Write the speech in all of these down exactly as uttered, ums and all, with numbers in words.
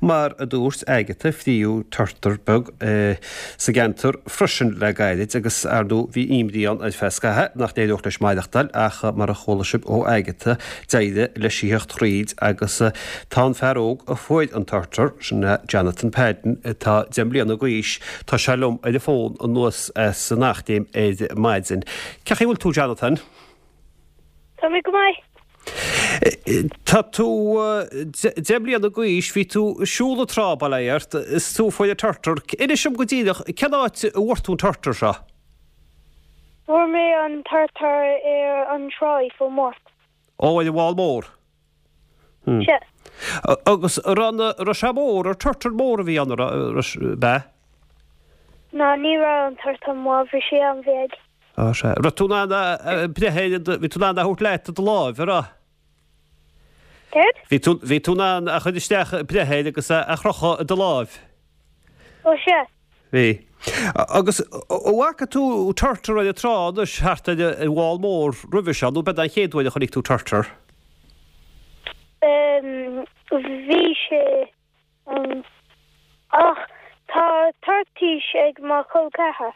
mar a dúirt Agatha fríodh turtar beag sa gceantar freisin le gairid agus ar ndóigh bhí imní ann ar feadh scaithimh nach n-éireodh leis maireachtáil ach mar a chuala sibh ó Agatha d'éirigh leis a theacht thríd agus tá an fear óg a fuair an turtar, sin é Jonathan Padden atá deich mbliana d'aois, tá sé liom ar an bhfón anuas as an Eachléim ar maidin. Cén chaoi a bhfuil tú Jonathan? Tá mé go maith. Tá tú deich mbliana d'aois, bhí tú ag siúl an trá bail ó Dhia ort, is tú a fuair an turtar. Inis dom go díreach, cén áit a bhfuair tú an turtar seo? Fuair mé an turtar ar an tráigh fó Mort. Ó, ar an bhFál Mór. Hmm. Sea. Agus raibh raibh sé mór, ar turtar mór a bhí ann, ab ea? Ná ní raibh an turtar mór, bhí sé an-bheag. Á, sea. Raibh tú in ann a breith air, bhí tú in ann a thabhairt leat i do láimh, an raibh? Céard? Bhí tú, bhí tú in ann a chur isteach, breith air agus a chrochadh i do láimh. Ó, sea. Bhí. Agus an bhfaca tú turtar ar an trá anois thart ar an bhFál Mór roimhe seo nó b'é an chéad uair a chonaic tú turtar? Bhí sé ann. Ach tá toirtéis ag mo chol ceathar.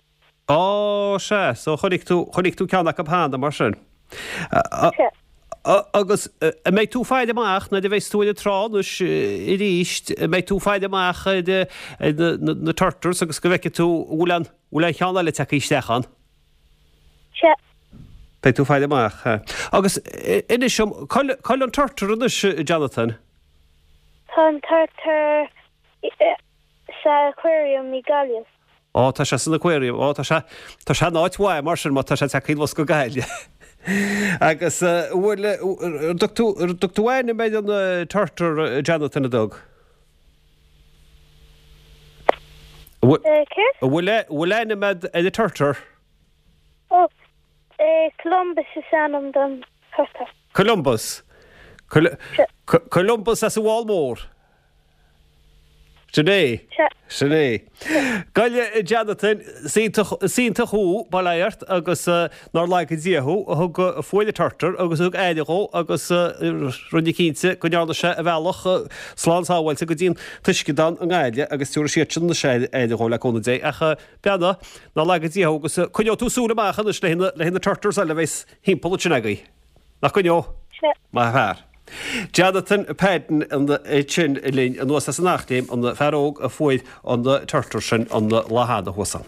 Á, sea, so chonaic tú, chonaic tú ceann acu cheana, mar sin. Sea. Agus an mbeidh tú ag faire amach nuair a bheas tú ar an trá anois arís, an mbeidh tú ag faire amach ar na, na turtles agus go bhfeicfidh tú an bhfuil an, bhfuil aon cheann eile tagtha isteach ann? Sea. Beidh tú ag faire amach. Agus inis dom, cá bhfuil an turtar anois, Jonathan? Tá an turtar sa aquarium i Gaillimh. Ó, tá sé san aquarium. Ó, tá sé, tá sé in áit mhaith mar sin má tá sé tagtha anuas go Gaillimh. Agus bhfuil, an dtug tú, an dtug tú ainm ar an turtar, Jonathan, an dtug? Céard? An bhfuil, bhfuil ainm a'd ar an turtar? Ó, Columbus is ainm don turtar. Columbus? Columbus as an bhFál Mór? Sin é. Sea. Sin é. Bhuel a Jonathan, is iontach, is iontach thú, bail ó Dhia ort, agus nár laga Dia thú, a thug, a fuair an turtar agus a thug aire dhó agus rinne cinnte go ndearna sé a bhealach slán sábháilte go dtí an t-uisceadán i nGaillimh agus tabharfaidh siadsan anois aire dhó le cúnamh Dé. Ach beannacht, nár laga Dia thú agus coinneoidh tú súil amach anois le haghaidh na turtles eile a bheas thimpeall ansin agaibh. Nach gcoinneoidh? Sea. Maith an fear. Jonathan Padden ansin linn anuas as an Eachléim, an fear óg a fuair an turtar sin an lá cheana thuas ann.